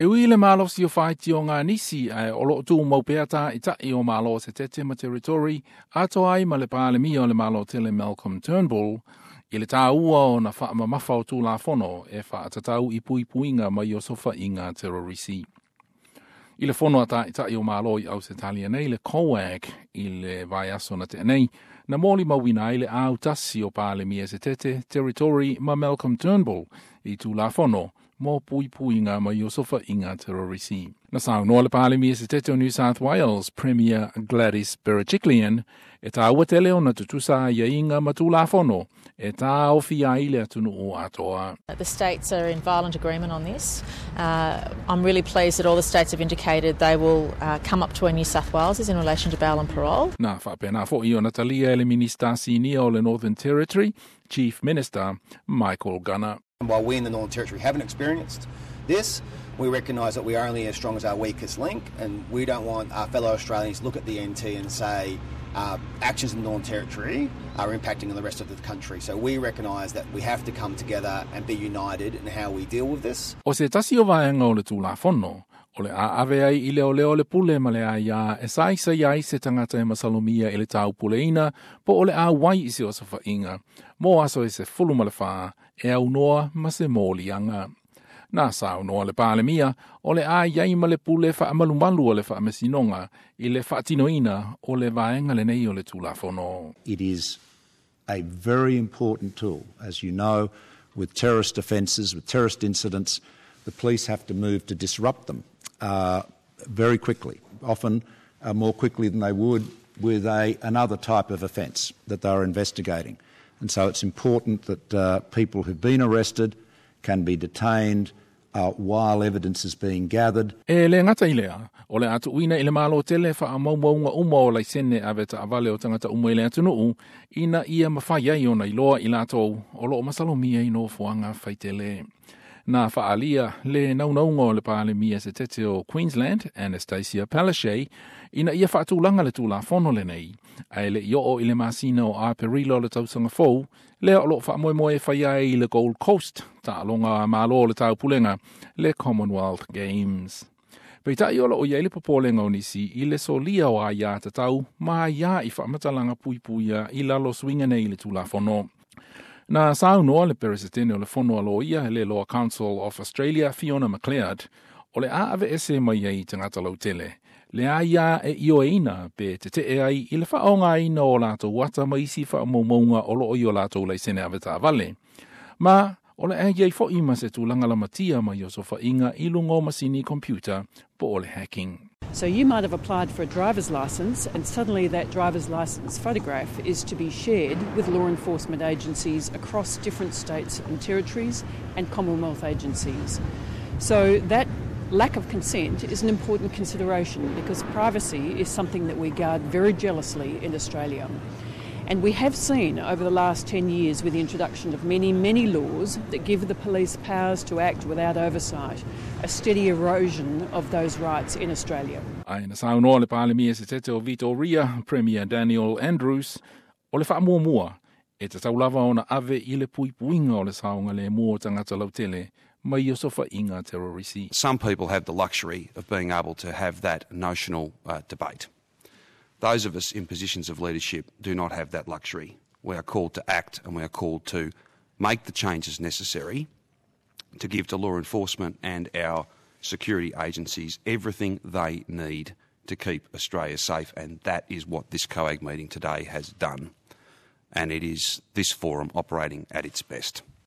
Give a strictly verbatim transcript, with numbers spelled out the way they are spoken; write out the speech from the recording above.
E ui le malosi o faitioga a nisi ae o loo tumau pea taitai o Malo Setete ma Territory atoa ai ma le Palemia o le Malo tele Malcolm Turnbull i le tāua ona faamamafa o Tulafono e faatatau i puipuiga mai osofaiga terorisi. I le fono a taitai o Malo i Ausetalia nei le COAG i le vaiaso na tea nei, na molimauina ai le autasi o Palemia Setete, Territory ma Malcolm Turnbull i Tulafono mo puipuiga mai osofaiga terorisi. Na saunoa le Palemia Setete o New South Wales, Premier Gladys Berejiklian, e tāua tele ona tutusa aiaiga ma Tulafono e tāofi ai le atunuu atoa. The states are in violent agreement on this. Uh, I'm really pleased that all the states have indicated they will uh, come up to where New South Wales is in relation to bail and parole. Na faapena foi ona talia e le Minista Sinia o le Northern Territory, Chief Minister Michael Gunner. While we in the Northern Territory haven't experienced this, we recognise that we are only as strong as our weakest link, and we don't want our fellow Australians to look at the N T and say uh, actions in the Northern Territory are impacting on the rest of the country. So we recognise that we have to come together and be united in how we deal with this. O se tasi o vaega o le Tulafono, o le a ave ai i leoleo le pule ma le aiā e saisai ai se tagata e masalomia i le taupuleina po o le auai i se osofaiga, mo aso e sefulu ma le fa e aunoa ma se moliaga. Na saunoa le Palemia o le a iai ma le pule faamalumalu o le faamasinoga i le faatinoina o le vaega lenei o le Tulafono. It is a very important tool. As you know, with terrorist offences, with terrorist incidents, the police have to move to disrupt them uh, very quickly, often uh, more quickly than they would with a, another type of offence that they're investigating. And so it's important that uh, people who've been arrested can be detained uh, while evidence is being gathered. E le gata i lea, o le a tuuina i le Malo tele faamaumauga uma o laisene ave taavale o tagata uma i le atunuu, ina ia mafai ai ona iloa i latou o loo masalomia i nofoaga faitele. Na faaalia le naunauga o le Palemia Setete o Queensland, Anastasia Palaszczuk, ina ia faatulaga le Tulafono lenei, ae le i oo i le masina o Aperila o le tausaga fou, lea o loo faamoemoe e fai ai i le Gold Coast, taaloga malo o le taupulega, le Commonwealth Games. Peitai o loo i ai le popolega o nisi i le solia o aiā tatau ma aiā i faamatalaga puipuia i lalo suiga nei i le Tulafono. Na saunoa le Peresetene o le Fono a Loia, le Law Council of Australia, Fiona MacLeod, o le a aveese mai ai tagata lautele le aiā e ioeina pe tetee ai i le faaaogaina o latou ata ma isi faamaumauga o loo i o latou laisene avetaavale. Ma o le a iai foi ma se tulaga lamatia mai osofaiga i luga o masini computer po o le hacking. So you might have applied for a driver's license, and suddenly that driver's license photograph is to be shared with law enforcement agencies across different states and territories and Commonwealth agencies. So that lack of consent is an important consideration because privacy is something that we guard very jealously in Australia. And we have seen over the last ten years, with the introduction of many, many laws that give the police powers to act without oversight, a steady erosion of those rights in Australia. Ae na saunoa le Palemia Setete o Victoria, Premier Daniel Andrews, o le faamuamua e tatau lava ona ave i le puipuiga o le saogalemu o tagata lautele mai osofaiga terrorisi. Some people have the luxury of being able to have that notional uh, debate. Those of us in positions of leadership do not have that luxury. We are called to act and we are called to make the changes necessary to give to law enforcement and our security agencies everything they need to keep Australia safe, and that is what this COAG meeting today has done. And it is this forum operating at its best.